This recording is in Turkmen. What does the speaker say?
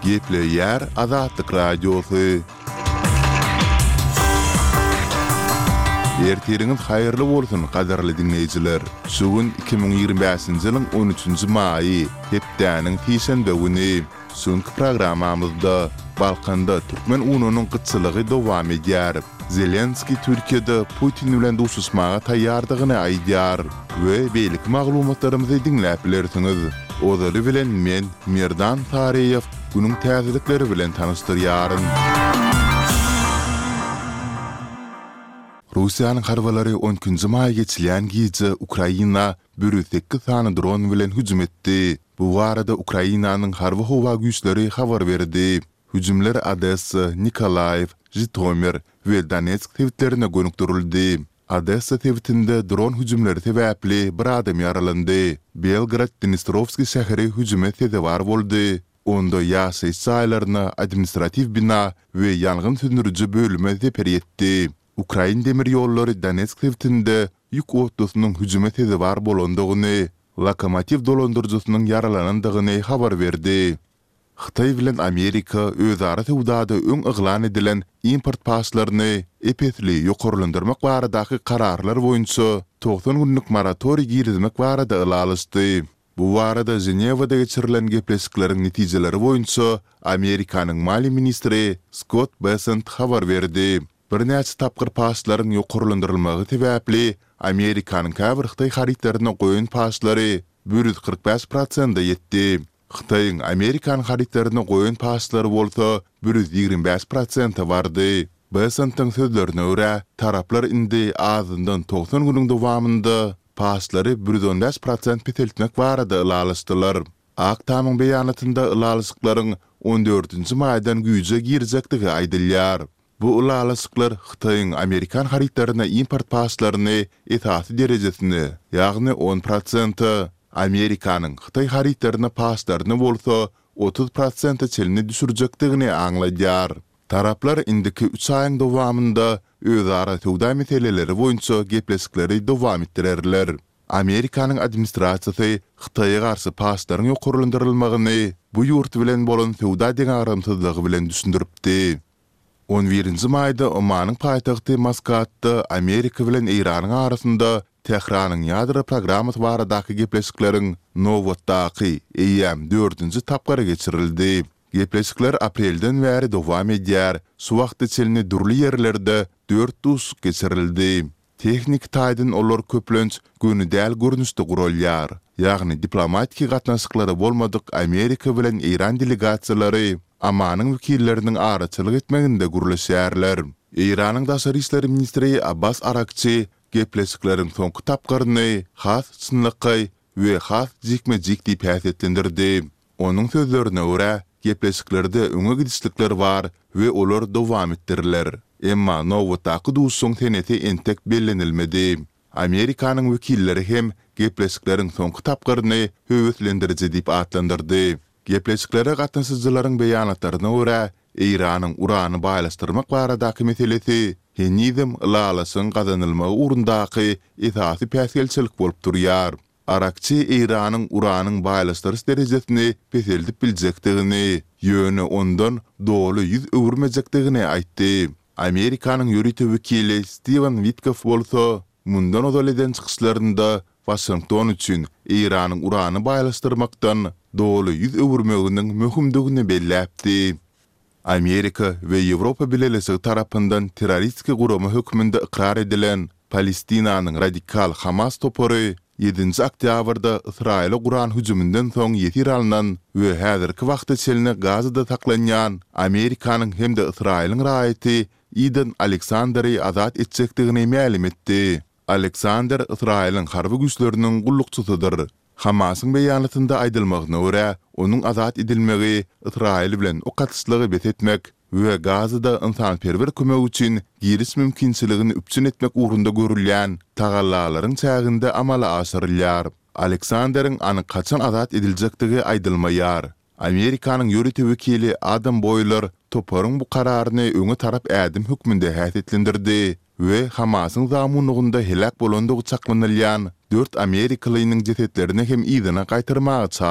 Gepleýär Azatlyk Radiosy. Ertiriňiz haýyrly bolsun, gadyrly diňleýjiler! Şu gün 2025-nji ýylyň on üçünji maýy, hepdäniň sişenbe güni. Şu günki programmamyzda Balkanda türkmen ununyň gytçylygy dowam edýär. Zelenskiý Türkiýede Putin bilen duşuşmaga taýýardygyny aýdýar we beýleki maglumatlarymyzy diňläp bilersiňiz. Ozaly bilen men, Merdan Saryýew, günüň täzelikleri bilen tanyşdyrýaryn. Russiýanyň harbylary on ikinji maý geçilýän gije Ukraina 108 sany dron bilen hüjüm etdi. Bu barada Ukrainanyň Harby-howa güýçleri habar berdi. Hüjümler Odessa, Nikolaýew, Žitomir we Donetsk sebitlerine gönükdirildi. Odessa sebitinde dron hüjümleri sebäpli bir adam ýaralandy. Belgorod-Dnestrowskiý şäheri hüjüme sezewar boldy, onda ýaşaýyş jaýlaryna, administratiw bina we ýangyn söndüriji bölüme zeper ýetdi. Ukrain demir ýollary Donetsk sebitinde ýük otlusynyň hüjüme sezewar bolandygyny, lokomotiw dolandyryjysynyň ýaralanandygyny habar berdi. Hytaý bilen Amerika özara söwdada öň yglan edilen import paçlaryny ep-esli ýokarlandyrmak baradaky kararlar boýunça 90 günlük moratoriý girizmek barada ylalaşdy. Bu barada Ženewada geçirilen gepleşikleriň netijeleri boýunça Amerikanyň maliýe ministri Skott Bessent habar berdi. Birnäçe tapgyr paçlaryň ýokarlandyrylmagy sebäpli Amerikanyň käbir hytaý harytlaryna goýan paçlary 145 prosente ýetdi. Hytaýyň amerikan harytlaryna goýan paçlary bolsa 125 prosente bardy. Bessentiň sözlerine görä, taraplar indi azyndan 90 günüň dowamynda paçlary 115 prosent peseltmek barada ylalaşdylar. Ak tamyň beýanatynda ylalaşyklaryň on dördünji maýdan güýje girjekdigi aýdylýar. Bu ylalaşyklar Hytaýyň amerikan harytlaryna import paçlaryny esasy derejesine, ýagny on prosente, Amerikanyň hytaý harytlaryna paçlaryny bolsa 30 prosente çenli düşürjekdigini aňladýar. Taraplar indiki üç aýyň dowamynda özara söwda meseleleri boýunça gepleşikleri dowam etdirerler. Amerikanyň administrasiýasy Hytaýa garşy paçlaryň ýokarlandyrylmagyny bu ýurt bilen bolan söwda deňagramsyzlygy bilen düşündiripdi. On birinji maýda Omanyň paýtagty Maskatda Amerika bilen Eýranyň arasynda Tähranyň ýadro programmasy baradaky gepleşikleriň nobatdaky, eýýäm dördünji tapgyry geçirildi. Gepleşikler aprelden bäri dowam edýär, şu wagta çenli dürli ýerlerde dört duşuşyk geçirildi. Tehniki taýdan olar köplenç göni däl görnüşde guralýar. Ýagny diplomatiki gatnaşyklary bolmadyk Amerika bilen Eýran delegasiýalary Omanyň wekilleriniň araçylyk etmeginde gürleşýärler. Eýranyň daşary işler ministri Abbas Arakçi gepleşikleriň soňky tapgyryny has çynlakaý we has jikme-jik diýip häsiýetlendirdi. Onuň sözlerine görä, gepleşiklerde öňe gidişlikler bar we olar dowam etdiriler. Emma nobatdaky duşuşygyň senesi entek bellenilmedi. Amerikanyň wekilleri hem gepleşikleriň soňky tapgyryny höweslendiriji diýip atlandyrdy. Gepleşiklere gatnaşyjylaryň beýanatlaryna görä, Eýranyň urany baýlaşdyrmak baradaky meselesi henizem ylalaşygyň gazanylmagy ugrundaky esasy päsgelçilik bolup durýar. Arakçi Eýranyň uranyň baýlaşdyryş derejesini peseldip biljekdigini, ýöne ondan doly ýüz öwürmejekdigini aýtdy. Amerikanyň ýörite wekili Stiwen Witkoff bolsa, mundan ozal eden çykyşlarynda Waşington üçin Eýranyň urany baýlaşdyrmakdan doly ýüz öwürmeginiň möhümdigini belläpdi. Amerika we Ýewropa Bileleşigi tarapyndan terroristiki gurama hökmünde ykrar edilen Palestinanyň radikal Hamas topary ýedinji oktýabrda Ysraýyla guran hüjüminden soň ýesir alnan we häzirki wagta çenli Gazada saklanýan Amerikanyň hem-de Ysraýylyň raýaty Iden Aleksanderi azat etjekdigini mälim etdi. Aleksander Ysraýylyň harby güýçleriniň gullukçysydyr. Hamasyň beýanatynda aýdylmagyna görä, onuň azat edilmegi Ysraýyl bilen ok atyşlygy bes etmek we Gazada ynsanperwer kömek üçin giriş mümkinçiligini üpjün etmek ugrunda görülýän tagallalaryň çäginde amala aşyrylýar. Aleksanderiň anyk haçan azat ediljekdigi aýdylmaýar. Amerikanyň ýörite wekili Adam Boýler toparyň bu kararyny öňe tarap ädim hökmünde häsiýetlendirdi we Hamasyň zamunlygynda heläk bolandygy çaklanylýan dört amerikalynyň jesetlerini hem yzyna gaýtarmaga çagyrdy.